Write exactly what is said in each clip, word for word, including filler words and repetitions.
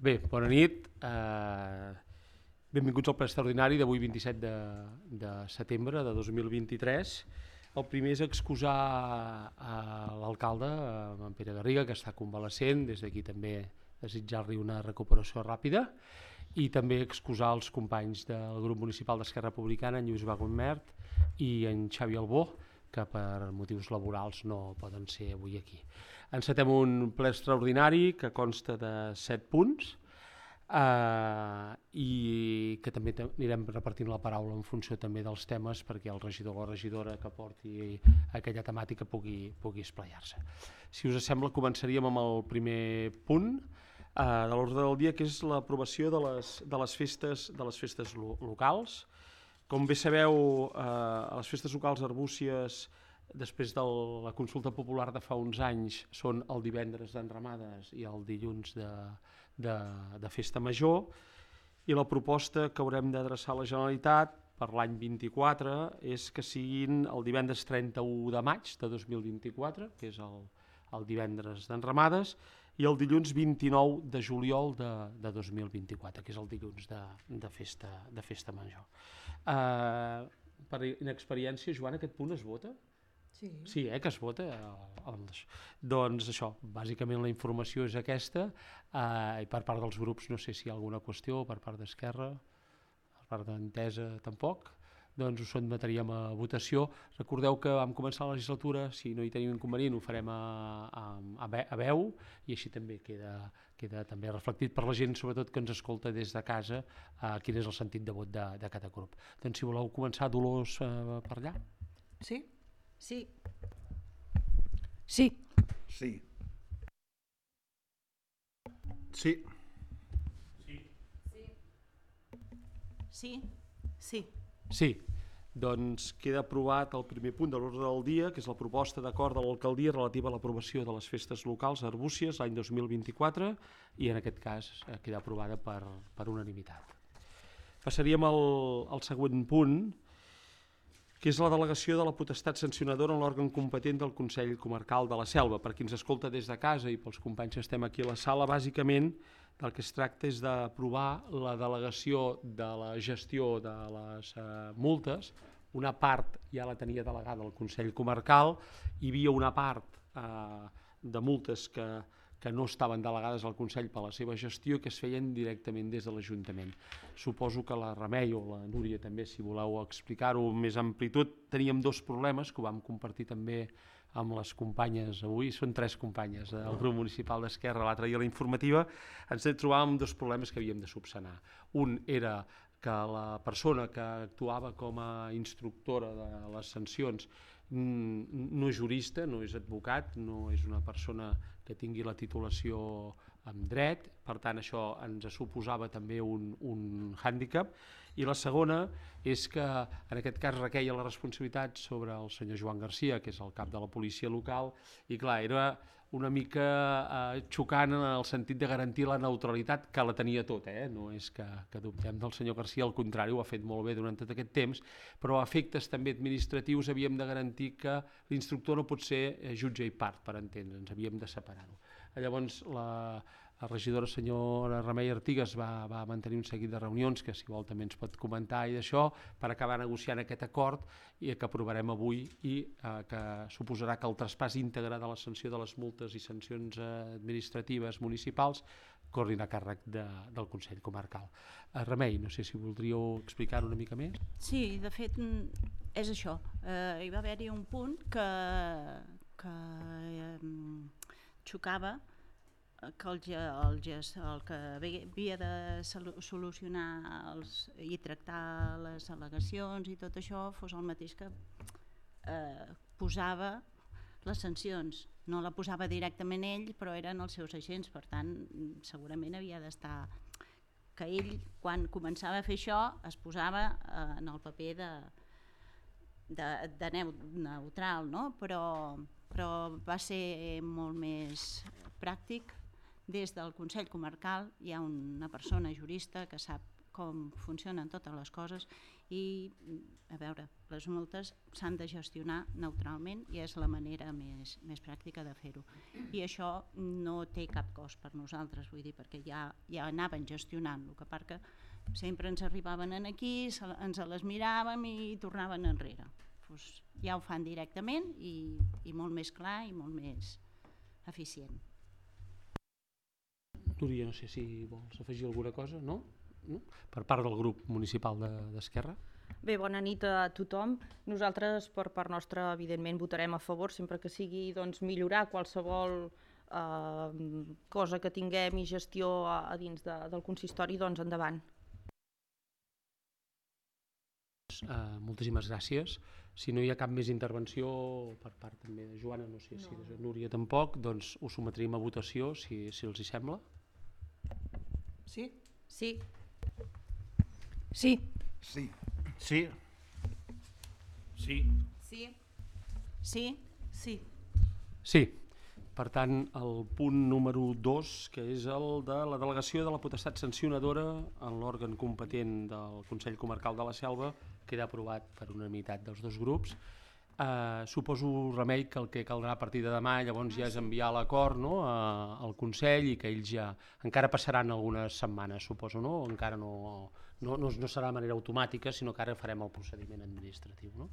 Bé, bona nit. Uh, benvinguts al ple extraordinari d'avui vint-i-set de, de setembre de dos mil vint-i-tres. El primer és excusar a l'alcalde, en Pere Garriga, que està convalescent, des d'aquí també desitjar-li una recuperació ràpida, i també excusar els companys del grup municipal d'Esquerra Republicana, en Lluís Bagonmert i en Xavi Albó, que per motius laborals no poden ser avui aquí. Encetem un ple extraordinari que consta de set punts eh, i que també anirem repartint la paraula en funció també dels temes perquè el regidor o regidora que porti aquella temàtica pugui, pugui esplaiar-se. Si us sembla, començaríem amb el primer punt eh, de l'ordre del dia, que és l'aprovació de les, de les festes, de les festes lo locals. Com bé sabeu, eh, a les festes locals arbúcies, després de la consulta popular de fa uns anys, són el divendres d'enramades i el dilluns de, de, de festa major, i la proposta que haurem d'adreçar a la Generalitat per l'any vint-i-quatre és que siguin el divendres trenta-u de maig de dos mil vint-i-quatre, que és el, el divendres d'enramades, i el dilluns vint-i-nou de juliol de, de dos mil vint-i-quatre, que és el dilluns de, de, festa, de festa major. Uh, per inexperiència, Joan, aquest punt es vota? Sí. Sí, eh, que es vota. Doncs això, bàsicament la informació és aquesta, eh, i per part dels grups no sé si hi ha alguna qüestió, per part d'Esquerra, per part d'Entesa tampoc, doncs ho sotmetríem a votació. Recordeu que vam començar la legislatura, si no hi tenim inconvenient ho farem a, a, a veu, i així també queda, queda també reflectit per la gent, sobretot que ens escolta des de casa, eh, quin és el sentit de vot de, de cada grup. Doncs si voleu començar, Dolors, eh, per allà. Sí? Sí. Sí. Sí. Sí. Sí. Sí. Sí. Doncs queda aprovat el primer punt de l'ordre del dia, que és la proposta d'acord de l'alcaldia relativa a l'aprovació de les festes locals arbúcies l'any dos mil vint-i-quatre, i en aquest cas queda aprovada per, per unanimitat. Passaríem al, al següent punt, que és la delegació de la potestat sancionadora en l'òrgan competent del Consell Comarcal de la Selva. Per qui ens escolta des de casa i pels companys que estem aquí a la sala, bàsicament del que es tracta és d'aprovar la delegació de la gestió de les eh, multes. Una part ja la tenia delegada el Consell Comarcal, hi havia una part eh, de multes que, que no estaven delegades al Consell per la seva gestió i que es feien directament des de l'Ajuntament. Suposo que la Remei o la Núria també, si voleu explicar-ho amb més amplitud, teníem dos problemes que ho vam compartir també amb les companyes avui, són tres companyes del grup municipal d'Esquerra, l'altre dia a la informativa, ens trobàvem dos problemes que havíem de subsanar. Un era que la persona que actuava com a instructora de les sancions no és jurista, no és advocat, no és una persona que tingui la titulació en dret, per tant això ens suposava també un, un hàndicap. I la segona és que en aquest cas requeia la responsabilitat sobre el senyor Joan Garcia, que és el cap de la policia local, i clar, era una mica eh, xocant en el sentit de garantir la neutralitat, que la tenia tot, eh? No és que, que dubtem del senyor Garcia, al contrari, ho ha fet molt bé durant tot aquest temps, però a efectes també administratius havíem de garantir que l'instructor no pot ser jutge i part, per entendre'ns, havíem de separar-ho. Llavors la, la regidora senyora Remei Artigas va, va mantenir un seguit de reunions que si vol també ens pot comentar i d'això per acabar negociant aquest acord i que aprovarem avui i eh, que suposarà que el traspàs íntegre de la sanció de les multes i sancions administratives municipals corrin a càrrec de, del Consell Comarcal. Eh, Remei, no sé si voldríeu explicar una mica més. Sí, de fet és això. Eh, hi va haver-hi un punt que, que eh, xocava que el, el, el que havia de solucionar els, i tractar les al·legacions i tot això fos el mateix que eh, posava les sancions. No la posava directament ell, però eren els seus agents, per tant segurament havia d'estar que ell quan començava a fer això es posava eh, en el paper de, de, de neutral, no? però, però va ser molt més pràctic. Des del Consell Comarcal hi ha una persona jurista que sap com funcionen totes les coses i, a veure, les multes s'han de gestionar neutralment i és la manera més, més pràctica de fer-ho. I això no té cap cost per nosaltres, vull dir, perquè ja, ja anaven gestionant, el que part que sempre ens arribaven aquí, se, ens les miràvem i tornaven enrere. Pues ja ho fan directament i, i molt més clar i molt més eficient. Núria, no sé si vols afegir alguna cosa, no? no? Per part del grup municipal d'Esquerra. Bé, bona nit a tothom. Nosaltres, per part nostra, evidentment, votarem a favor, sempre que sigui doncs, millorar qualsevol eh, cosa que tinguem i gestió a, a dins de, del consistori, doncs endavant. Uh, moltíssimes gràcies. Si no hi ha cap més intervenció per part també de Joana, no sé si de Núria tampoc, doncs ho sotmetrim a votació, si, si els hi sembla. Sí? Sí. Sí. Sí. Sí. Sí. Sí? Sí? Sí. Sí. Per tant, el punt número dos, que és el de la delegació de la potestat sancionadora en l'òrgan competent del Consell Comarcal de la Selva, queda aprovat per unanimitat dels dos grups. Eh, suposo, Remei, que el que caldrà a partir de demà llavors ja és enviar l'acord, no?, a, al Consell, i que ells ja encara passaran algunes setmanes, suposo, no? Encara no, no, no, no serà de manera automàtica, sinó que ara farem el procediment administratiu, no?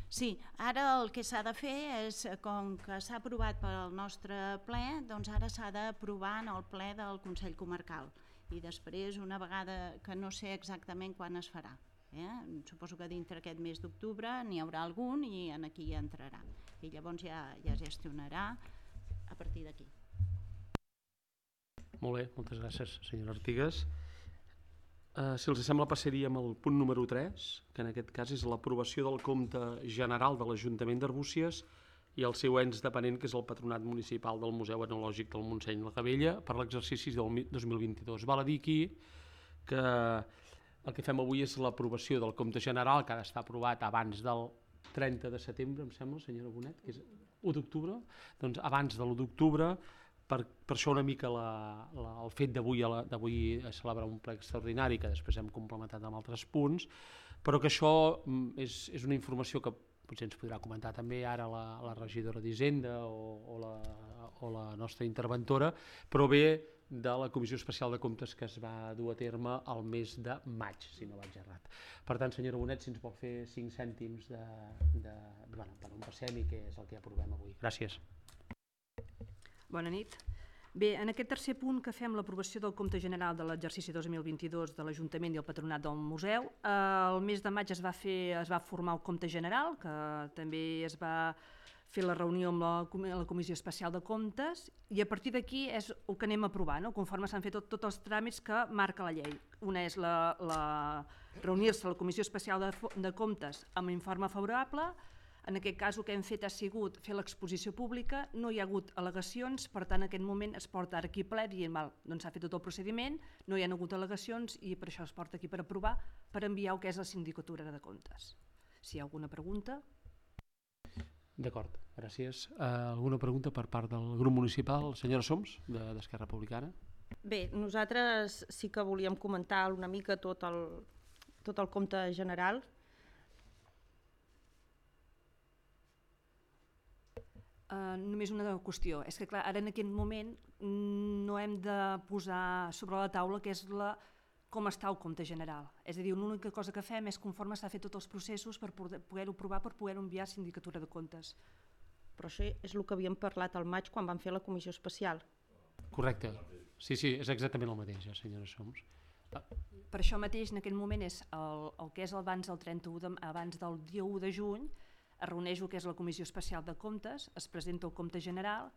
Sí, ara el que s'ha de fer és, com que s'ha aprovat pel nostre ple, doncs ara s'ha d'aprovar en el ple del Consell Comarcal i després, una vegada que no sé exactament quan es farà, eh? Suposo que dintre aquest mes d'octubre n'hi haurà algun i en aquí ja entrarà i llavors ja, ja gestionarà a partir d'aquí. Molt bé, moltes gràcies, senyora Artigas. Uh, si els sembla, passaríem al punt número tres, que en aquest cas és l'aprovació del compte general de l'Ajuntament d'Arbúcies i el seu ens dependent, que és el Patronat Municipal del Museu Etnològic del Montseny la Gavella, per l'exercici del dos mil vint-i-dos. Val a dir aquí que el que fem avui és l'aprovació del compte general, que ha d'estar aprovat abans del trenta de setembre, em sembla, senyora Bonet, que és u d'octubre, doncs abans de l'u d'octubre. Per, per això una mica la, la, el fet d'avui celebrar un ple extraordinari que després hem complementat amb altres punts, però que això és, és una informació que potser ens podrà comentar també ara la, la regidora d'Hisenda o, o, la, o la nostra interventora, però ve de la Comissió Especial de Comptes que es va dur a terme al mes de maig, si no vaig errat. Per tant, senyora Bonet, si ens vol fer cinc cèntims de, de, de, bueno, per on passem i què és el que aprovem avui. Gràcies. Bona nit. Bé, en aquest tercer punt que fem l'aprovació del compte general de l'exercici dos mil vint-i-dos de l'Ajuntament i el Patronat del Museu, el mes de maig es va, fer, es va formar el compte general, que també es va fer la reunió amb la, la Comissió Especial de Comptes, i a partir d'aquí és el que anem a aprovar, no? Conforme s'han fet tots tot els tràmits que marca la llei. Una és la, la, reunir-se a la Comissió Especial de, de Comptes amb informe favorable. En aquest cas el que hem fet ha sigut fer l'exposició pública, no hi ha hagut al·legacions, per tant en aquest moment es porta ara aquí ple dient val, doncs s'ha fet tot el procediment, no hi ha hagut al·legacions i per això es porta aquí per aprovar, per enviar el que és la Sindicatura de Comptes. Si hi ha alguna pregunta? D'acord, gràcies. Uh, alguna pregunta per part del grup municipal? Senyora Soms, d'Esquerra Republicana. Bé, nosaltres sí que volíem comentar una mica tot el, tot el compte general. Uh, només una qüestió, és que clar, ara en aquest moment no hem de posar sobre la taula que és la, com està el compte general. És a dir, l'única cosa que fem és conforme s'ha fet tots els processos per poder-ho provar, per poder-ho enviar a Sindicatura de Comptes. Però això és el que havíem parlat al maig quan vam fer la comissió especial. Correcte. Sí, sí, és exactament el mateix, senyora Soms. Ah. Per això mateix, en aquest moment, és el, el que és abans del trenta-u de, abans del dia u de juny, es reuneix el que és la Comissió Especial de Comptes, es presenta el compte general,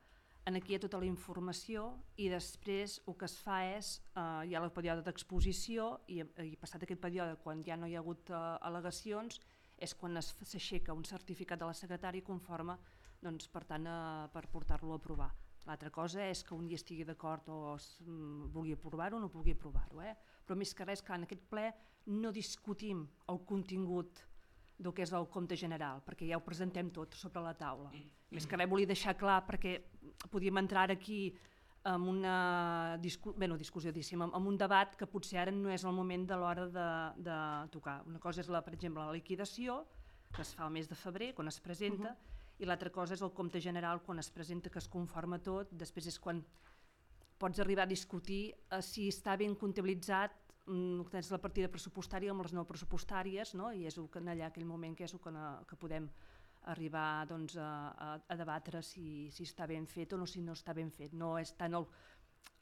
aquí hi ha tota la informació i després el que es fa és, eh, hi ha el període d'exposició i, i passat aquest període, quan ja no hi ha hagut eh, al·legacions, és quan s'aixeca un certificat de la secretària conforme, doncs, per tant, eh, per portar-lo a aprovar. L'altra cosa és que un dia estigui d'acord o es, mm, vulgui aprovar-ho o no vulgui aprovar-ho, eh? Però més que res, clar, en aquest ple no discutim el contingut del que és el compte general, perquè ja ho presentem tot sobre la taula. Més que res volia deixar clar perquè podíem entrar aquí amb una discu bé, no, discussió, diguéssim, amb, amb un debat que potser ara no és el moment de l'hora de, de tocar. Una cosa és, la, per exemple, la liquidació, que es fa el mes de febrer, quan es presenta, uh-huh. i l'altra cosa és el compte general, quan es presenta, que es conforma tot. Després és quan pots arribar a discutir eh, si està ben comptabilitzat, mm, tens la partida pressupostària amb les no pressupostàries, no? I és en allà aquell moment que és el que, no, que podem arribar doncs, a, a, a debatre si, si està ben fet o no, si no està ben fet. No és tant el,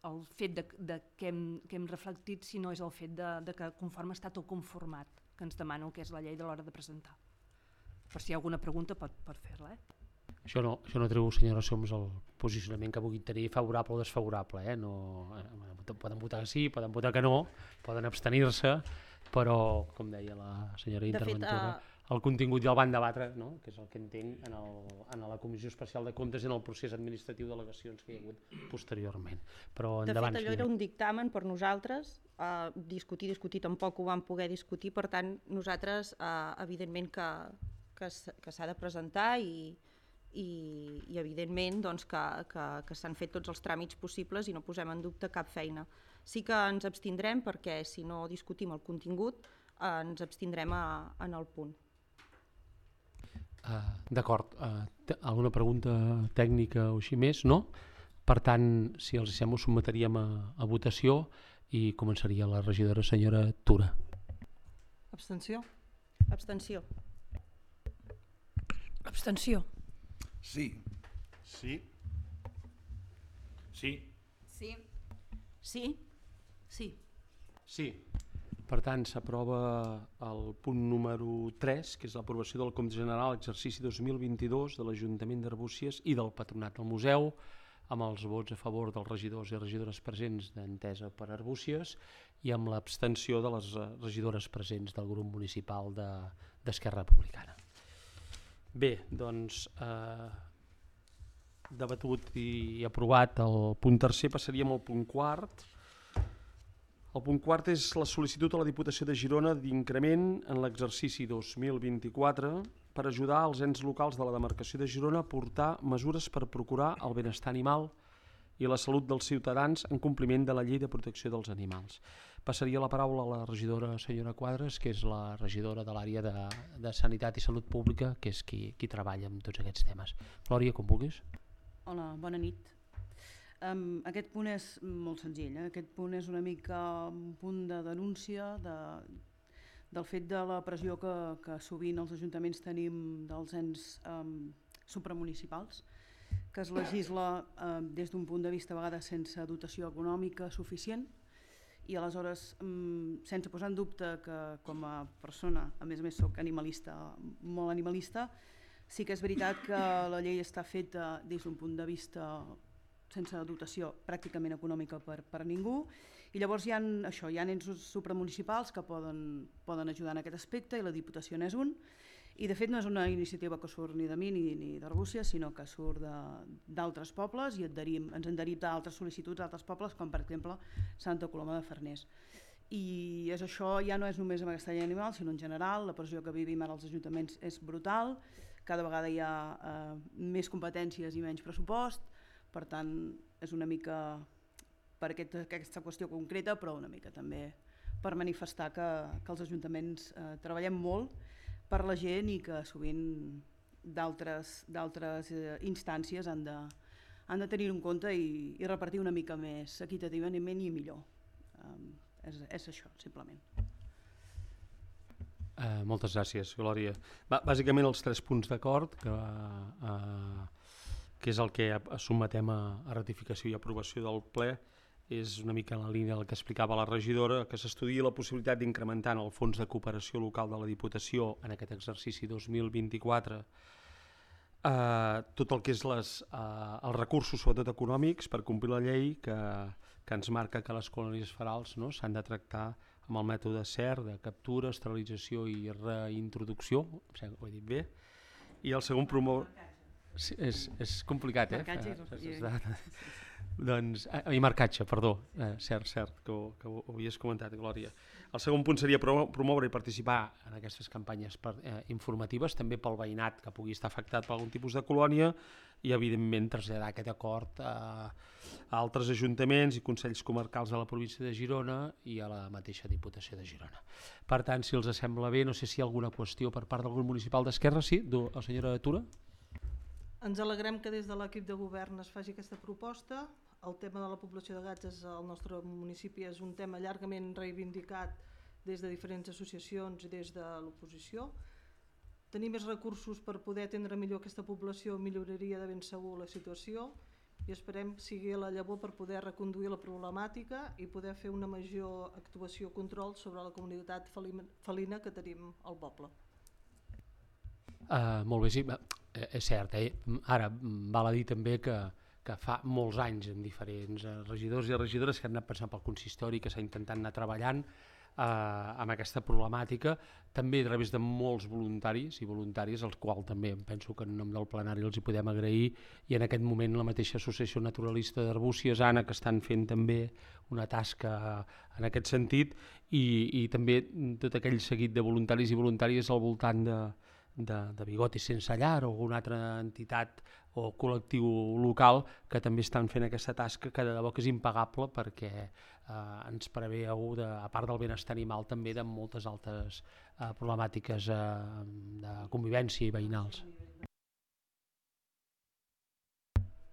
el fet de, de que, hem, que hem reflectit, sinó és el fet de, de que conforme està tot conformat, que ens demana el que és la llei de l'hora de presentar. Per si hi ha alguna pregunta pot, pot fer-la. Eh? Això no, això no treu, senyora Soms, el posicionament que puguin tenir favorable o desfavorable. Eh? No, eh, poden votar que sí, poden votar que no, poden abstenir-se, però, com deia la senyora interventora, uh... el contingut ja el van debatre, no? Que és el que entenc en, el, en la Comissió Especial de Comptes i en el procés administratiu d'al·legacions que hi ha hagut posteriorment. Però endavant, de fet, allò senyora. era un dictamen per nosaltres, eh, discutir, discutir, tampoc ho vam poder discutir, per tant, nosaltres, eh, evidentment que, que, que s'ha de presentar i, i, i evidentment doncs, que, que, que s'han fet tots els tràmits possibles i no posem en dubte cap feina. Sí que ens abstindrem perquè si no discutim el contingut eh, ens abstindrem a, en el punt. Uh, D'acord, uh, alguna pregunta tècnica o així més? No? Per tant, si els sembla, ho sotmetríem a, a votació i començaria la regidora senyora Tura. Abstenció? Abstenció. Abstenció. Sí. Sí. Sí. Sí. Sí. Sí. Sí. Per tant, s'aprova el punt número tres, que és l'aprovació del compte general exercici dos mil vint-i-dos de l'Ajuntament d'Arbúcies i del Patronat del Museu, amb els vots a favor dels regidors i regidores presents d'Entesa per Arbúcies i amb l'abstenció de les regidores presents del grup municipal d'Esquerra Republicana. Bé, doncs, eh, debatut i aprovat el punt tercer, passaríem al punt quart. El punt quart és la sol·licitud a la Diputació de Girona d'increment en l'exercici dos mil vint-i-quatre per ajudar els ens locals de la demarcació de Girona a portar mesures per procurar el benestar animal i la salut dels ciutadans en compliment de la Llei de Protecció dels Animals. Passaria la paraula a la regidora senyora Quadres, que és la regidora de l'àrea de, de Sanitat i Salut Pública, que és qui, qui treballa amb tots aquests temes. Glòria, com vulguis. Hola, bona nit. Um, aquest punt és molt senzill. Eh? Aquest punt és una mica un punt de denúncia de, del fet de la pressió que, que sovint els ajuntaments tenim dels ens um, supramunicipals, que es legisla um, des d'un punt de vista a vegades sense dotació econòmica suficient i aleshores, um, sense posar en dubte que com a persona, a més a més soc animalista, molt animalista, sí que és veritat que la llei està feta des d'un punt de vista sense dotació pràcticament econòmica per, per ningú, i llavors hi ha, això, hi ha ens supramunicipals que poden, poden ajudar en aquest aspecte i la Diputació n'és un, i de fet no és una iniciativa que surt ni de mi ni, ni d'Arbúcies, sinó que surt d'altres pobles i adherim, ens adherim d'altres sol·licituds d'altres pobles, com per exemple Santa Coloma de Farners. I és això, ja no és només amb aquesta llei animal, sinó en general, la pressió que vivim ara als ajuntaments és brutal, cada vegada hi ha eh, més competències i menys pressupost. Per tant, és una mica per aquest, aquesta qüestió concreta, però una mica també per manifestar que, que els ajuntaments eh, treballem molt per la gent i que sovint d'altres eh, instàncies han de, han de tenir en compte i, i repartir una mica més equitativament i millor. Um, és, és això, simplement. Uh, moltes gràcies, Glòria. Ba bàsicament els tres punts d'acord que... Uh, que és el que sotmetem a, a ratificació i aprovació del ple, és una mica en la línia del que explicava la regidora, que s'estudia la possibilitat d'incrementar en el Fons de Cooperació Local de la Diputació en aquest exercici dos mil vint-i-quatre eh, tot el que és les, eh, els recursos, sobretot econòmics, per complir la llei que, que ens marca que les colònies ferals, no, s'han de tractar amb el mètode C E R, de captura, esterilització i reintroducció, em sembla que ho he dit bé, i el segon promoure... Sí, és, és complicat, eh? Marcatge i... Doncs, eh, i marcatge, perdó, eh, cert, cert, que ho, que ho havies comentat, Glòria. El segon punt seria promoure i participar en aquestes campanyes per, eh, informatives, també pel veïnat que pugui estar afectat per algun tipus de colònia, i evidentment traslladar aquest acord a, a altres ajuntaments i consells comarcals de la província de Girona i a la mateixa Diputació de Girona. Per tant, si els sembla bé, no sé si hi ha alguna qüestió per part del grup municipal d'Esquerra. Sí, la senyora Tura? Ens alegrem que des de l'equip de govern es faci aquesta proposta. El tema de la població de gats al nostre municipi és un tema llargament reivindicat des de diferents associacions i des de l'oposició. Tenir més recursos per poder atendre millor aquesta població milloraria de ben segur la situació i esperem que sigui la llavor per poder reconduir la problemàtica i poder fer una major actuació control sobre la comunitat felina que tenim al poble. Uh, molt bé, sí, és cert, eh? Ara val a dir també que que fa molts anys amb diferents regidors i regidores que han anat passant pel consistori, que s'ha intentat anar treballant eh, amb aquesta problemàtica, també a través de molts voluntaris i voluntàries, als quals també penso que en nom del plenari els hi podem agrair, i en aquest moment la mateixa Associació Naturalista d'Arbúcies, Anna, que estan fent també una tasca en aquest sentit, i, i també tot aquell seguit de voluntaris i voluntàries al voltant de De, de Bigotis Sense Llar o alguna altra entitat o col·lectiu local que també estan fent aquesta tasca que de debò que és impagable perquè eh, ens preveu, de, a part del benestar animal, també de moltes altres eh, problemàtiques eh, de convivència i veïnals.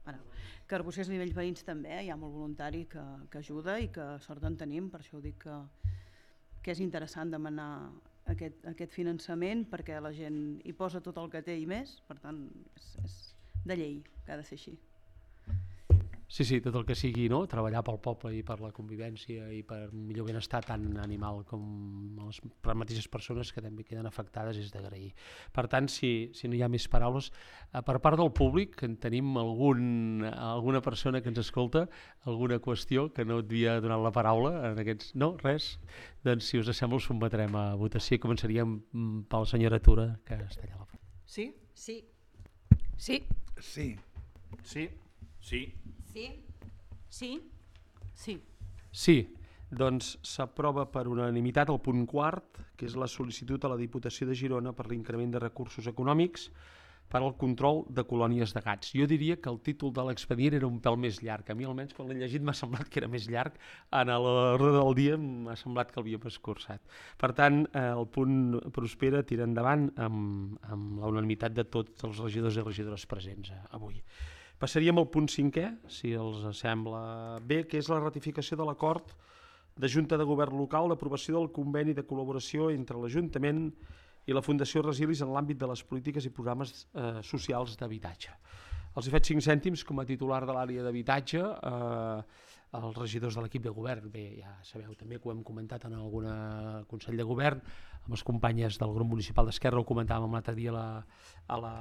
Bueno, que Arbúcies a nivell veïns també, eh? Hi ha molt voluntari que, que ajuda i que sort en tenim, per això ho dic que, que és interessant demanar Aquest, aquest finançament perquè la gent hi posa tot el que té i més, per tant és, és de llei que ha de ser així. Sí, sí, tot el que sigui, no? Treballar pel poble i per la convivència i per un millor benestar tant animal com les mateixes persones que també queden afectades és d'agrair. Per tant, si, si no hi ha més paraules, per part del públic, que en tenim algun, alguna persona que ens escolta, alguna qüestió que no et havia donat la paraula en aquests... No, res? Doncs si us sembla us sotmetrem a votació. Començaríem per la senyora Tura, que està allà a la front. Sí? Sí. Sí. Sí. Sí. Sí. Sí? Sí? Sí. Sí, doncs s'aprova per unanimitat el punt quart, que és la sol·licitud a la Diputació de Girona per l'increment de recursos econòmics per al control de colònies de gats. Jo diria que el títol de l'expedient era un pèl més llarg. A mi almenys quan l'he llegit m'ha semblat que era més llarg. En l'ordre del dia m'ha semblat que l'havíem escurçat. Per tant, el punt prospera, tira endavant amb, amb la unanimitat de tots els regidors i regidores presents avui. Passaríem al punt cinquè, si els sembla bé, que és la ratificació de l'acord de Junta de Govern Local d'aprovació del conveni de col·laboració entre l'Ajuntament i la Fundació Resilis en l'àmbit de les polítiques i programes eh, socials d'habitatge. Els he fet cinc cèntims com a titular de l'àrea d'habitatge, eh, els regidors de l'equip de govern, bé, ja sabeu també que ho hem comentat en algun Consell de Govern, amb les companyes del grup municipal d'Esquerra, ho comentàvem l'altre dia a la, a la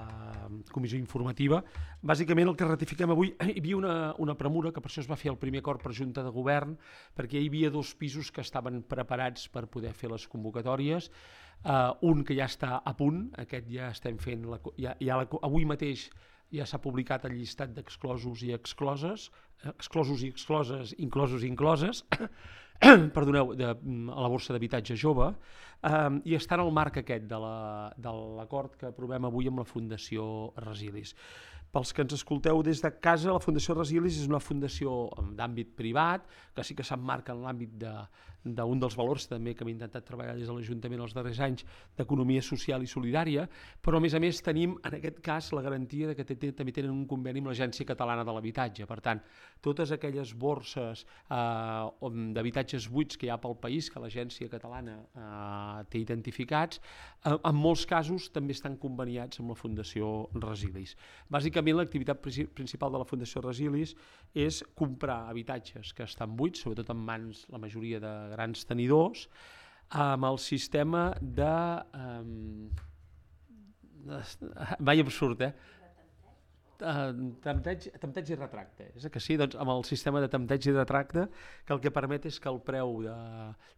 comissió informativa. Bàsicament el que ratifiquem avui, hi havia una, una premura, que per això es va fer el primer acord per Junta de Govern, perquè hi havia dos pisos que estaven preparats per poder fer les convocatòries, uh, un que ja està a punt, aquest ja estem fent, la, ja, ja la, avui mateix ja s'ha publicat el llistat d'exclosos i excloses, exclosos i excloses, inclosos i incloses, perdoneu, de, a la borsa d'habitatge jove, eh, i està en el marc aquest de l'acord que aprovem avui amb la Fundació Resilis. Pels que ens escolteu des de casa, la Fundació Resilis és una fundació d'àmbit privat, que sí que s'emmarca en l'àmbit d'un dels valors també que hem intentat treballar des de l'Ajuntament els darrers anys, d'economia social i solidària, però a més a més tenim en aquest cas la garantia de que també tenen un conveni amb l'Agència Catalana de l'Habitatge. Per tant, totes aquelles borses eh, d'habitatges buits que hi ha pel país, que l'Agència Catalana eh, té identificats, eh, en molts casos també estan conveniats amb la Fundació Resilis. Bàsicament, l'activitat principal de la Fundació Resilis és comprar habitatges que estan buits, sobretot en mans la majoria de grans tenidors, amb el sistema de... Um, mai absurd, eh? Tempteig, tempteig i retracte, és que sí? Doncs amb el sistema de tempteig i retracte, que el que permet és que el preu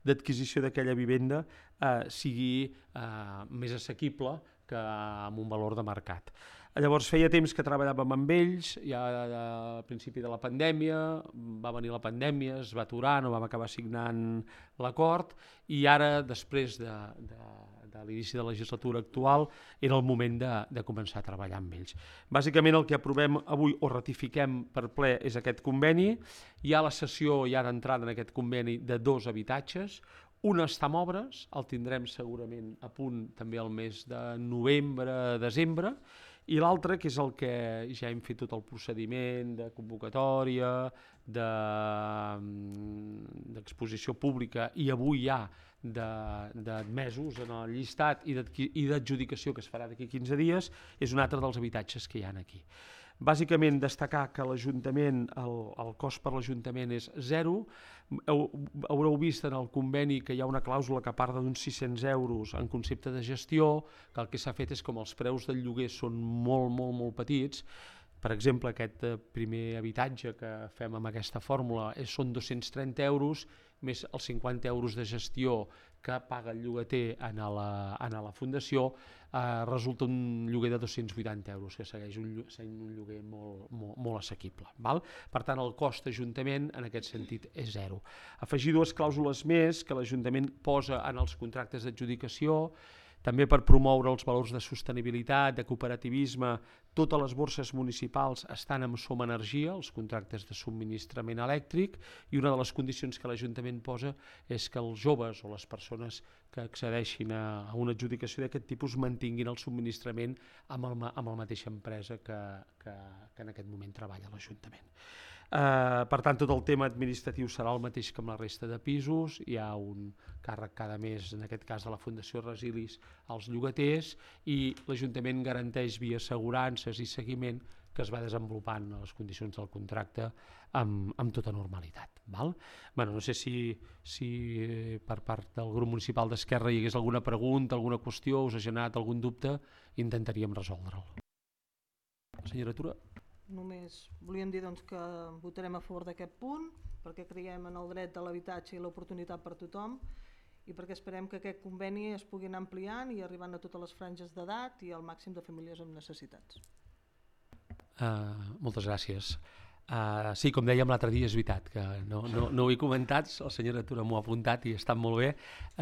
d'adquisició d'aquella vivenda eh, sigui eh, més assequible que amb un valor de mercat. Llavors feia temps que treballàvem amb ells, ja al principi de la pandèmia, va venir la pandèmia, es va aturar, no vam acabar signant l'acord, i ara, després de, de, de l'inici de la legislatura actual, era el moment de, de començar a treballar amb ells. Bàsicament el que aprovem avui o ratifiquem per ple és aquest conveni. Hi ha la cessió ja d'entrada en aquest conveni de dos habitatges. Un està en obres, el tindrem segurament a punt també el mes de novembre, desembre, i l'altre, que és el que ja hem fet tot el procediment de convocatòria, d'exposició pública i avui ja d'admesos en el llistat i d'adjudicació que es farà d'aquí quinze dies, és un altre dels habitatges que hi ha aquí. Bàsicament destacar que l'Ajuntament, el, el cost per l'Ajuntament és zero. Haureu vist en el conveni que hi ha una clàusula que parla d'uns sis-cents euros en concepte de gestió, que el que s'ha fet és com els preus del lloguer són molt, molt, molt petits. Per exemple, aquest primer habitatge que fem amb aquesta fórmula és, són dos-cents trenta euros, més els cinquanta euros de gestió que paga el llogater en la, en la fundació, eh, resulta un lloguer de dos-cents vuitanta euros, que segueix un, un lloguer molt, molt, molt assequible. Val? Per tant, el cost d'Ajuntament en aquest sentit és zero. Afegir dues clàusules més que l'Ajuntament posa en els contractes d'adjudicació, també per promoure els valors de sostenibilitat, de cooperativisme. Totes les borses municipals estan amb Som Energia, els contractes de subministrament elèctric, i una de les condicions que l'Ajuntament posa és que els joves o les persones que accedeixin a una adjudicació d'aquest tipus mantinguin el subministrament amb, el, amb la mateixa empresa que, que, que en aquest moment treballa l'Ajuntament. Uh, per tant, tot el tema administratiu serà el mateix que amb la resta de pisos. Hi ha un càrrec cada mes, en aquest cas de la Fundació Resilis, als llogaters, i l'Ajuntament garanteix via assegurances i seguiment que es va desenvolupant les condicions del contracte amb, amb tota normalitat. Val? Bueno, no sé si, si per part del grup municipal d'Esquerra hi hagués alguna pregunta, alguna qüestió, us ha generat algun dubte, intentaríem resoldre'l. Senyora Tura. Només volíem dir doncs, que votarem a favor d'aquest punt, perquè creiem en el dret de l'habitatge i l'oportunitat per tothom, i perquè esperem que aquest conveni es pugui anar ampliant i arribant a totes les franges d'edat i al màxim de famílies amb necessitats. Uh, moltes gràcies. Uh, sí, com dèiem l'altre dia, és veritat que no, no, no ho he comentat, la senyora Tura m'ho ha apuntat i està molt bé.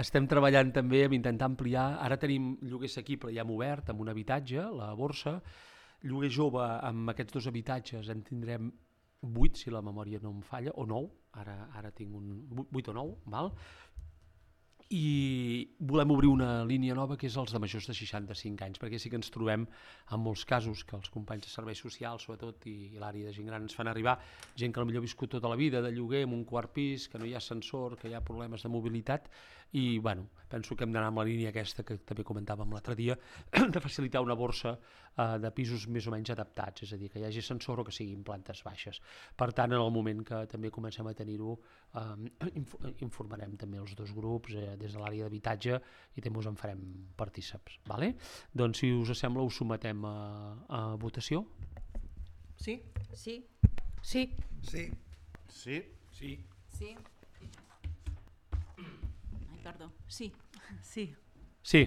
Estem treballant també amb intentar ampliar, ara tenim lloguer assequible ja hem obert amb un habitatge, la borsa, lloguer jove amb aquests dos habitatges en tindrem vuit, si la memòria no em falla, o nou, ara, ara tinc un vuit o nou, val? I volem obrir una línia nova que és els de majors de seixanta-cinc anys, perquè sí que ens trobem en molts casos que els companys de serveis socials, sobretot, i, i l'àrea de gent gran ens fan arribar gent que potser ha viscut tota la vida de lloguer en un quart pis, que no hi ha ascensor, que hi ha problemes de mobilitat, i bueno, penso que hem d'anar amb la línia aquesta que també comentàvem l'altre dia, de facilitar una borsa eh, de pisos més o menys adaptats, és a dir, que hi hagi ascensor o que siguin plantes baixes. Per tant, en el moment que també comencem a tenir-ho, eh, inf informarem també els dos grups eh, des de l'àrea d'habitatge i també us en farem partíceps. Vale? Doncs si us sembla ho sometem a, a votació. Sí? Sí. Sí. Sí. Sí. Sí. Sí. Ai, perdó. Sí. Sí. Sí.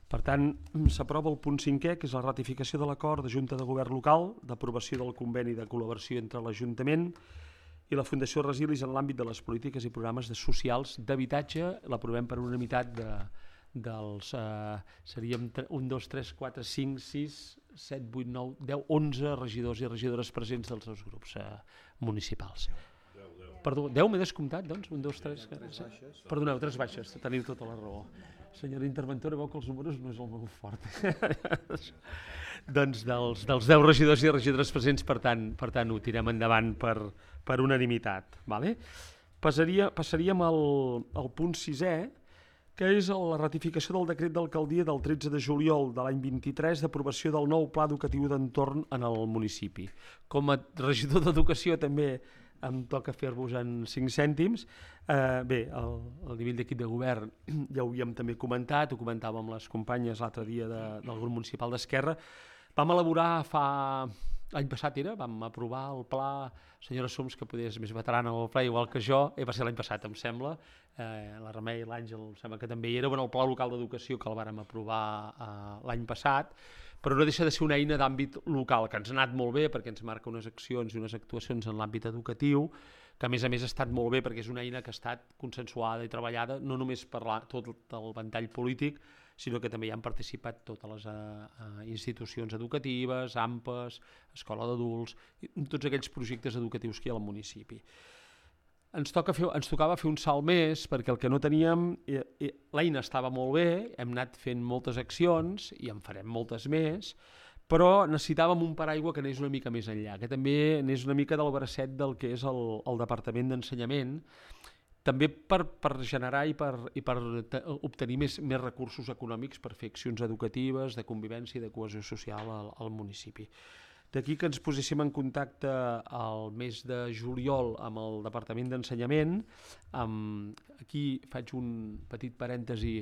Per tant, s'aprova el punt cinquè, que és la ratificació de l'acord de Junta de Govern Local d'aprovació del conveni de col·laboració entre l'Ajuntament i la Fundació Resilis en l'àmbit de les polítiques i programes de socials d'habitatge. L'aprovem per unanimitat de, dels... Eh, seríem un, dos, tres, quatre, cinc, sis, set, vuit, nou, deu, onze regidors i regidores presents dels dos grups eh, municipals. Perdó, deu m'he descomptat, doncs? Un, dos, tres... Perdoneu, tres baixes, teniu tota la raó. Senyora interventora, veu que els números no és el meu fort. Doncs dels, dels deu regidors i regidores presents, per tant, per tant ho tirem endavant per, per unanimitat. Vale? Passaria, passaríem al, al punt sisè, que és la ratificació del decret d'alcaldia del tretze de juliol de l'any vint-i-tres d'aprovació del nou pla educatiu d'entorn en el municipi. Com a regidor d'educació també em toca fer-vos en cinc cèntims. Eh, bé, el, el nivell d'equip de govern ja ho havíem també comentat, ho comentàvem amb les companyes l'altre dia de, del grup municipal d'Esquerra. Vam elaborar fa... L'any passat era, vam aprovar el pla, senyora Soms, que poder és més veterana del pla, igual que jo, eh, va ser l'any passat, em sembla, eh, la Remei i l'Àngel em sembla que també hi era, bueno, el pla local d'educació que el vàrem aprovar eh, l'any passat, però no deixa de ser una eina d'àmbit local, que ens ha anat molt bé perquè ens marca unes accions i unes actuacions en l'àmbit educatiu, que a més a més ha estat molt bé perquè és una eina que ha estat consensuada i treballada no només per la, tot el ventall polític, sinó que també hi han participat totes les uh, institucions educatives, A M P Es, Escola d'Adults, tots aquells projectes educatius que hi ha al municipi. Ens, toca fer, ens tocava fer un salt més perquè el que no teníem, eh, eh, l'eina estava molt bé, hem anat fent moltes accions i en farem moltes més, però necessitàvem un paraigua que anés una mica més enllà, que també anés una mica del bracet del que és el, el Departament d'Ensenyament, també per, per generar i per, i per obtenir més, més recursos econòmics per fer accions educatives, de convivència i de cohesió social al, al municipi. D'aquí que ens poséssim en contacte el mes de juliol amb el Departament d'Ensenyament. Aquí faig un petit parèntesi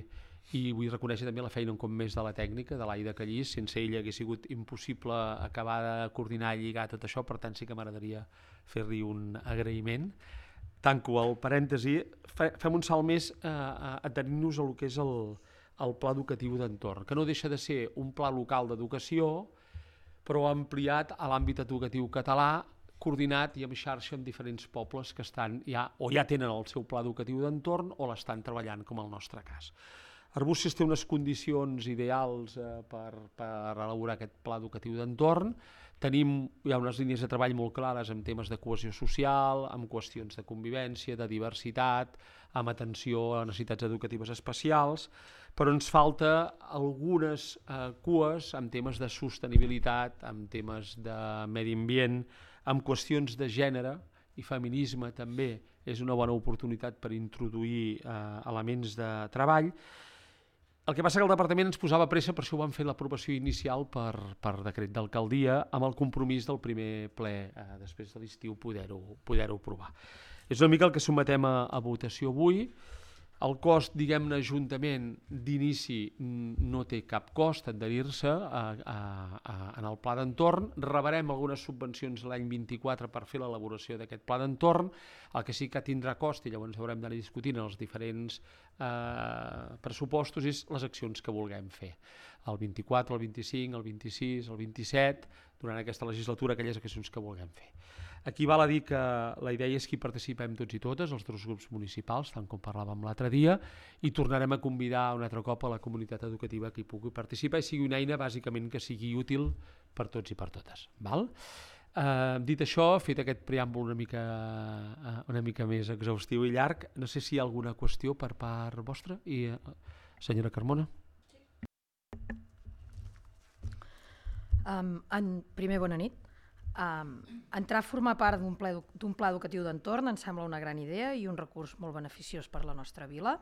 i vull reconèixer també la feina un cop més de la tècnica, de l'Aida Callís. Sense ella hagués sigut impossible acabar de coordinar i lligar tot això, per tant sí que m'agradaria fer-li un agraïment. Tanco el parèntesi, fem un salt més eh, atenint-nos a el que és el, el pla educatiu d'entorn, que no deixa de ser un pla local d'educació, però ampliat a l'àmbit educatiu català, coordinat i en xarxa amb diferents pobles que estan ja, o ja tenen el seu pla educatiu d'entorn o l'estan treballant, com el nostre cas. Arbúcies té unes condicions ideals eh, per, per elaborar aquest pla educatiu d'entorn. Tenim, hi ha unes línies de treball molt clares en temes de cohesió social, amb qüestions de convivència, de diversitat, amb atenció a necessitats educatives especials, però ens falta algunes eh, cues en temes de sostenibilitat, en temes de medi ambient, amb qüestions de gènere i feminisme també és una bona oportunitat per introduir eh, elements de treball. El que passa que el departament ens posava pressa, per això ho vam fer l'aprovació inicial per, per decret d'alcaldia, amb el compromís del primer ple, eh, després de l'estiu, poder-ho poder-ho aprovar. És una mica el que sotmetem a, a votació avui. El cost, diguem-ne, ajuntament d'inici no té cap cost adherir-se a, a, a, en el pla d'entorn. Rebrem algunes subvencions l'any vint-i-quatre per fer l'elaboració d'aquest pla d'entorn. El que sí que tindrà cost, i llavors haurem d'anar discutint els diferents eh, pressupostos, és les accions que vulguem fer. El vint-i-quatre, el vint-i-cinc, el vint-i-sis, el vint-i-set, durant aquesta legislatura, aquelles accions que vulguem fer. Aquí val a dir que la idea és que hi participem tots i totes, els dos grups municipals, tant com parlàvem l'altre dia, i tornarem a convidar un altre cop a la comunitat educativa que hi pugui participar i sigui una eina bàsicament que sigui útil per tots i per totes. Val? Eh, dit això, fet aquest preàmbul una mica, una mica més exhaustiu i llarg, no sé si hi ha alguna qüestió per part vostra. I, senyora Carmona. Um, en, primer, bona nit. Um, entrar a formar part d'un pla, d'un pla educatiu d'entorn em sembla una gran idea i un recurs molt beneficiós per a la nostra vila.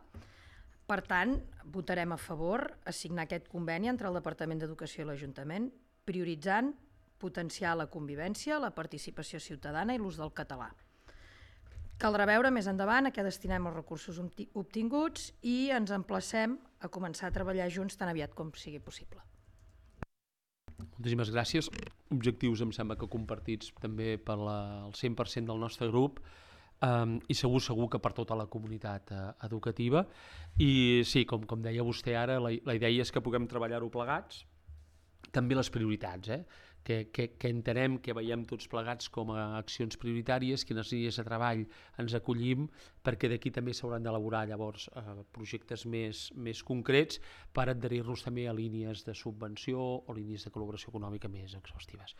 Per tant, votarem a favor a signar aquest conveni entre el Departament d'Educació i l'Ajuntament, prioritzant potenciar la convivència, la participació ciutadana i l'ús del català. Caldrà veure més endavant a què destinem els recursos obtinguts i ens emplacem a començar a treballar junts tan aviat com sigui possible. Moltíssimes gràcies. Objectius em sembla que compartits també per la, el cent per cent del nostre grup um, i segur segur que per tota la comunitat uh, educativa. I sí, com, com deia vostè ara, la, la idea és que puguem treballar-ho plegats, també les prioritats, eh? que, que, que entenem, que veiem tots plegats com a accions prioritàries, quines línies de treball ens acollim, perquè d'aquí també s'hauran d'elaborar llavors eh, projectes més, més concrets per adherir-nos també a línies de subvenció o línies de col·laboració econòmica més exhaustives.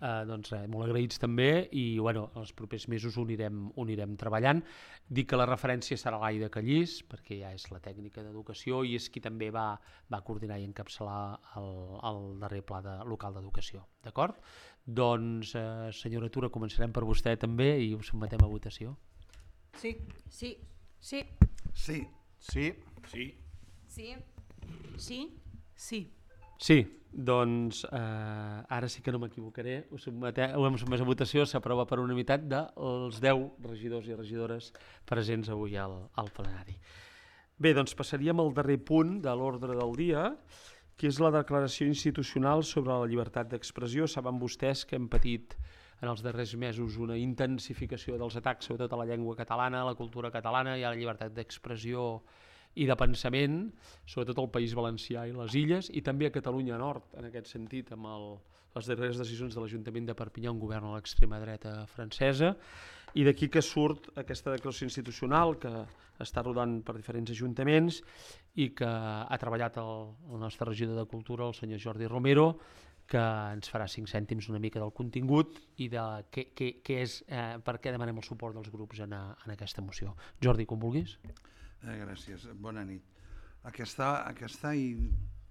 Eh, doncs eh, molt agraïts també i bueno, els propers mesos ho anirem, ho anirem treballant. Dic que la referència serà l'Aida Callís, perquè ja és la tècnica d'educació i és qui també va, va coordinar i encapçalar el, el darrer pla de, local d'educació. D'acord? Doncs, eh, senyora Tura, començarem per vostè també i ho sotmetem a votació. Sí. Sí. Sí. Sí. Sí. Sí. Sí. Sí. Sí. Sí, doncs eh, ara sí que no m'equivocaré, ho, sotmetem, ho hem sotmès a votació, s'aprova per unanimitat dels deu regidors i regidores presents avui al, al plenari. Bé, doncs passaríem al darrer punt de l'ordre del dia, que és la declaració institucional sobre la llibertat d'expressió. Saben vostès que hem patit en els darrers mesos una intensificació dels atacs sobretot a la llengua catalana, a la cultura catalana i a la llibertat d'expressió i de pensament, sobretot al País Valencià i les Illes, i també a Catalunya Nord, en aquest sentit, amb el, les darreres decisions de l'Ajuntament de Perpinyà, un govern a l'extrema dreta francesa, I d'aquí que surt aquesta declaració institucional que està rodant per diferents ajuntaments i que ha treballat el, el nostre regidor de Cultura, el senyor Jordi Romero, que ens farà cinc cèntims una mica del contingut i de què, què, què és, eh, per què demanem el suport dels grups en, a, en aquesta moció. Jordi, com vulguis. Eh, gràcies, bona nit. Aquesta, aquesta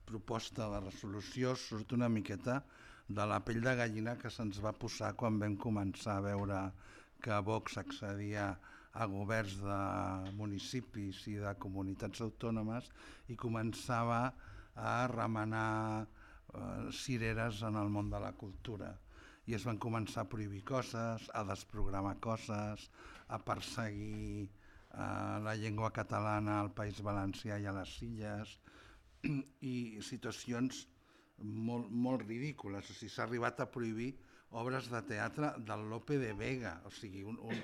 proposta de resolució surt una miqueta de la pell de gallina que se'ns va posar quan vam començar a veure que Vox accedia a governs de municipis i de comunitats autònomes i començava a remenar eh, cireres en el món de la cultura. I es van començar a prohibir coses, a desprogramar coses, a perseguir eh, la llengua catalana al País Valencià i a les Illes, i situacions molt, molt ridícules. O sigui, s'ha arribat a prohibir obres de teatre del Lope de Vega, o sigui, un, un,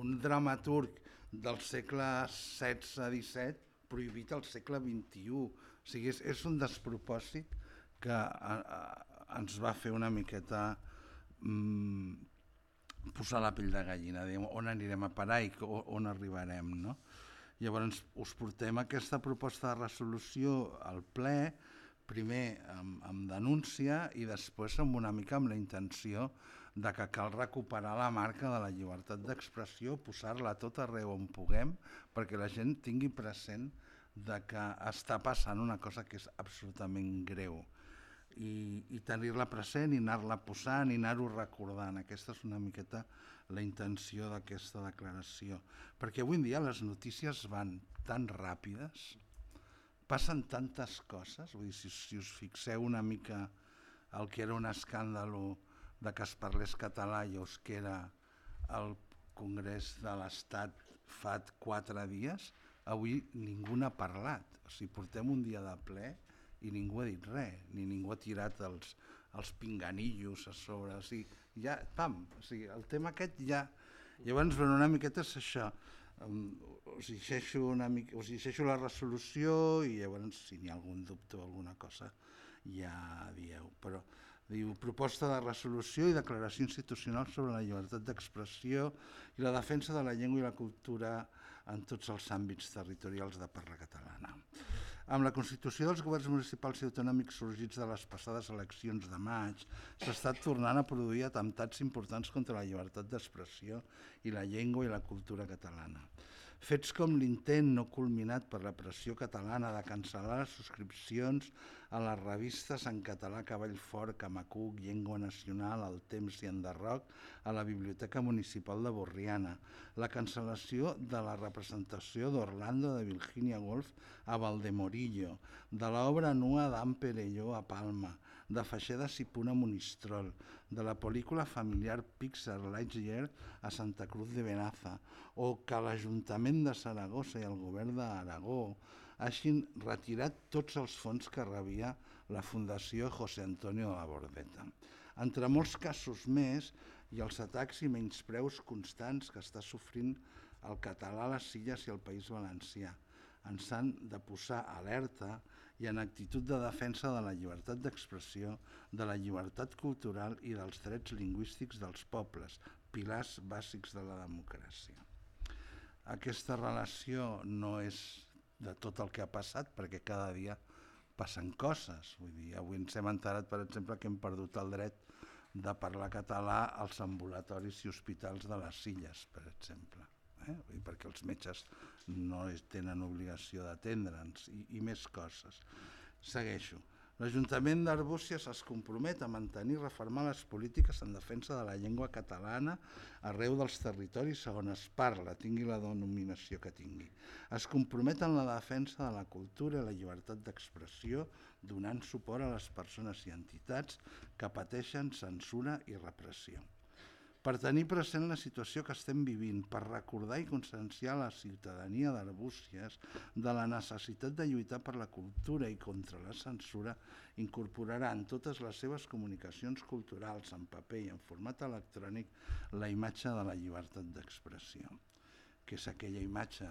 un dramaturg del segle setze disset prohibit al segle vint-i-u. O sigui, és, és un despropòsit que a, a, ens va fer una miqueta mm, posar la pell de gallina, diguem, on anirem a parar i on arribarem, no? Llavors us portem aquesta proposta de resolució al ple, primer amb, amb denúncia i després amb una mica amb la intenció de que cal recuperar la marca de la llibertat d'expressió, posar-la tot arreu on puguem, perquè la gent tingui present de que està passant una cosa que és absolutament greu i, i tenir-la present i anar-la posant i anar-ho recordant. Aquesta és una miqueta la intenció d'aquesta declaració, perquè avui en dia les notícies van tan ràpides, passen tantes coses, vull dir, si, si us fixeu una mica el que era un escàndol de que es parlés català i us que era el Congrés de l'Estat fa quatre dies, avui ningú n'ha parlat. O sigui, portem un dia de ple i ningú ha dit res, ni ningú ha tirat els, els pinganillos a sobre. O sigui, ja, pam, o sigui, el tema aquest ja... Llavors, bueno, una miqueta és això. Um, us, llegeixo una mica, us llegeixo la resolució i llavors, si n'hi ha algun dubte o alguna cosa, ja dieu. Però diu, proposta de resolució i declaració institucional sobre la llibertat d'expressió i la defensa de la llengua i la cultura en tots els àmbits territorials de parla catalana. Amb la constitució dels governs municipals i autonòmics sorgits de les passades eleccions de maig, s'ha estat tornant a produir atemptats importants contra la llibertat d'expressió i la llengua i la cultura catalana. Fets com l'intent no culminat per la pressió catalana de cancel·lar les subscripcions a les revistes en català Cavall Fort, Camacuc, Llengua Nacional, El Temps i Enderroc a la Biblioteca Municipal de Borriana, la cancel·lació de la representació d'Orlando de Virginia Woolf a Valdemorillo, de l'obra nua d'Anne Perelló a Palma, de Feixeda Sipuna a Monistrol, de la pel·lícula familiar Pixar Lightyear a Santa Cruz de Benaza, o que l'Ajuntament de Saragossa i el Govern d'Aragó hagin retirat tots els fons que rebia la Fundació José Antonio de la Bordeta. Entre molts casos més, i els atacs i menyspreus constants que està sofrint el català a les Illes i el País Valencià. Ens han de posar alerta i en actitud de defensa de la llibertat d'expressió, de la llibertat cultural i dels drets lingüístics dels pobles, pilars bàsics de la democràcia. Aquesta relació no és de tot el que ha passat, perquè cada dia passen coses. Vull dir, avui ens hem enterat, per exemple, que hem perdut el dret de parlar català als ambulatoris i hospitals de les Illes, per exemple, eh? Vull dir, perquè els metges no tenen obligació d'atendre'ns i, i més coses. Segueixo. L'Ajuntament d'Arbúcies es compromet a mantenir i reformar les polítiques en defensa de la llengua catalana arreu dels territoris on es parla, tingui la denominació que tingui. Es compromet en la defensa de la cultura i la llibertat d'expressió, donant suport a les persones i entitats que pateixen censura i repressió. Per tenir present la situació que estem vivint, per recordar i conscienciar la ciutadania d'Arbúcies de la necessitat de lluitar per la cultura i contra la censura, incorporarà en totes les seves comunicacions culturals, en paper i en format electrònic, la imatge de la llibertat d'expressió, que és aquella imatge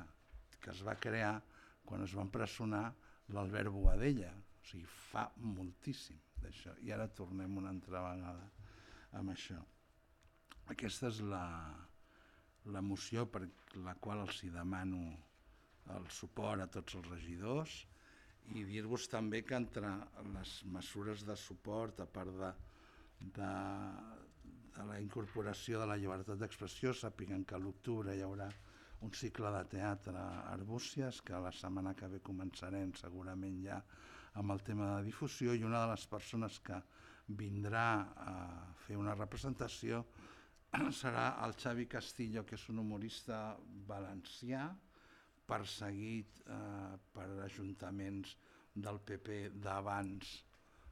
que es va crear quan es va empresonar l'Albert Boadella. O sigui, fa moltíssim d'això. I ara tornem una altra vegada amb això. Aquesta és la, la moció per la qual els hi demano el suport a tots els regidors i dir-vos també que entre les mesures de suport, a part de, de, de la incorporació de la llibertat d'expressió, sàpiguen que a l'octubre hi haurà un cicle de teatre a Arbúcies, que la setmana que ve començarem segurament ja amb el tema de difusió, i una de les persones que vindrà a fer una representació serà el Xavi Castillo, que és un humorista valencià, perseguit eh, per ajuntaments del P P d'abans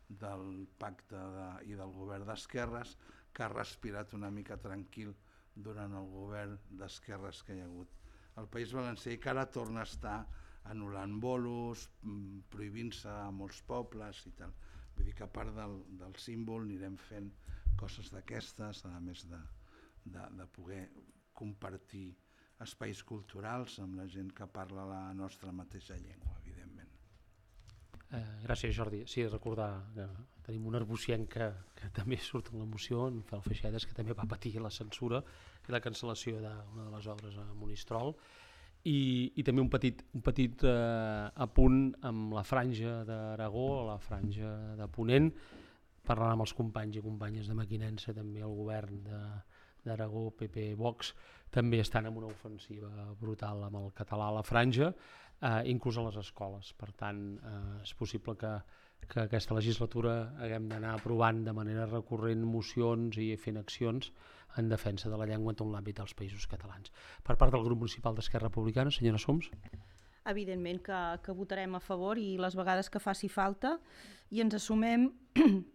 del pacte de, i del govern d'esquerres, que ha respirat una mica tranquil durant el govern d'esquerres que hi ha hagut al País Valencià i que ara torna a estar anul·lant bolos, prohibint-se a molts pobles i tal. Vull dir que a part del, del símbol anirem fent coses d'aquestes, a més de, de, de poder compartir espais culturals amb la gent que parla la nostra mateixa llengua, evidentment. Eh, gràcies, Jordi. Sí, recordar que tenim un arbucienc que, que també surt en la moció, en Fel Feixedes, que també va patir la censura i la cancel·lació d'una de les obres a Monistrol. I, i també un petit, un petit eh, apunt amb la franja d'Aragó, la franja de Ponent, parlant amb els companys i companyes de Mequinensa, també el govern d'Aragó, P P, Vox, també estan en una ofensiva brutal amb el català a la franja, eh, inclús a les escoles. Per tant, eh, és possible que, que aquesta legislatura haguem d'anar aprovant de manera recurrent mocions i fent accions en defensa de la llengua en tot l'àmbit dels països catalans. Per part del grup municipal d'Esquerra Republicana, senyora Soms. Evidentment que, que votarem a favor i les vegades que faci falta, i ens assumem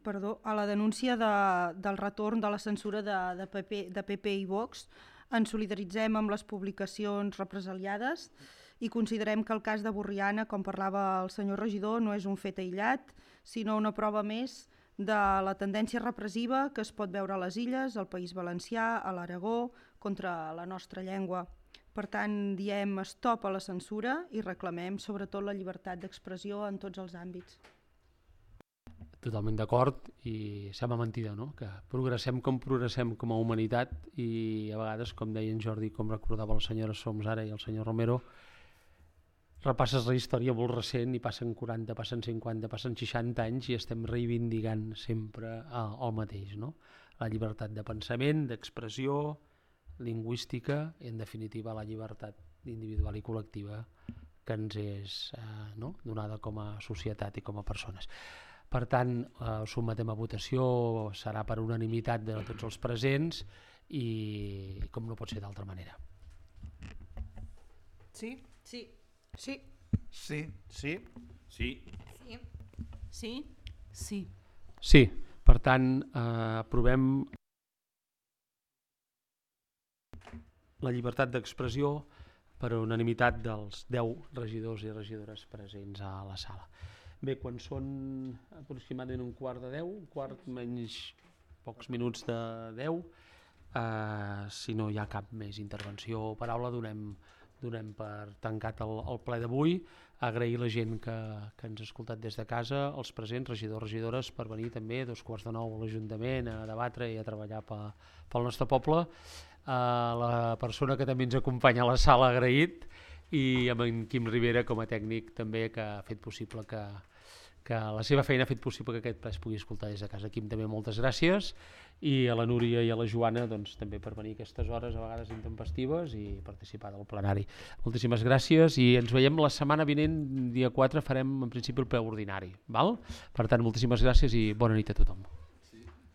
perdó, a la denúncia de, del retorn de la censura de, de, P P, de P P i Vox. Ens solidaritzem amb les publicacions represaliades i considerem que el cas de Borriana, com parlava el senyor regidor, no és un fet aïllat, sinó una prova més de la tendència repressiva que es pot veure a les Illes, al País Valencià, a l'Aragó, contra la nostra llengua. Per tant, diem stop a la censura i reclamem sobretot la llibertat d'expressió en tots els àmbits. Totalment d'acord, i sembla mentida, no? Que progressem com progressem com a humanitat i a vegades, com deia en Jordi, com recordava la senyora Soms ara i el senyor Romero, repasses la història molt recent i passen quaranta, passen cinquanta, passen seixanta anys i estem reivindicant sempre el mateix, no? La llibertat de pensament, d'expressió, lingüística i, en definitiva, la llibertat individual i col·lectiva que ens és eh, no? donada com a societat i com a persones. Per tant, eh, sotmetem a votació, serà per unanimitat de tots els presents i com no pot ser d'altra manera. Sí? Sí. Sí. Sí. Sí. Sí. Sí. Sí? Sí. Sí, per tant, eh, aprovem la llibertat d'expressió per unanimitat dels deu regidors i regidores presents a la sala. Bé, quan són aproximadament un quart de deu, un quart menys pocs minuts de deu, eh, si no hi ha cap més intervenció o paraula, donem, donem per tancat el, el ple d'avui. Agrair la gent que, que ens ha escoltat des de casa, els presents, regidors, regidores, per venir també a dos quarts de nou a l'Ajuntament a debatre i a treballar pe, pel nostre poble. Uh, la persona que també ens acompanya a la sala, agraït, i amb en Quim Rivera com a tècnic també, que ha fet possible que, que la seva feina ha fet possible que aquest ple es pugui escoltar des de casa. Quim, també moltes gràcies, i a la Núria i a la Joana doncs, també per venir a aquestes hores a vegades intempestives i participar del plenari. Moltíssimes gràcies i ens veiem la setmana vinent, dia quatre, farem en principi el ple ordinari. Val? Per tant, moltíssimes gràcies i bona nit a tothom.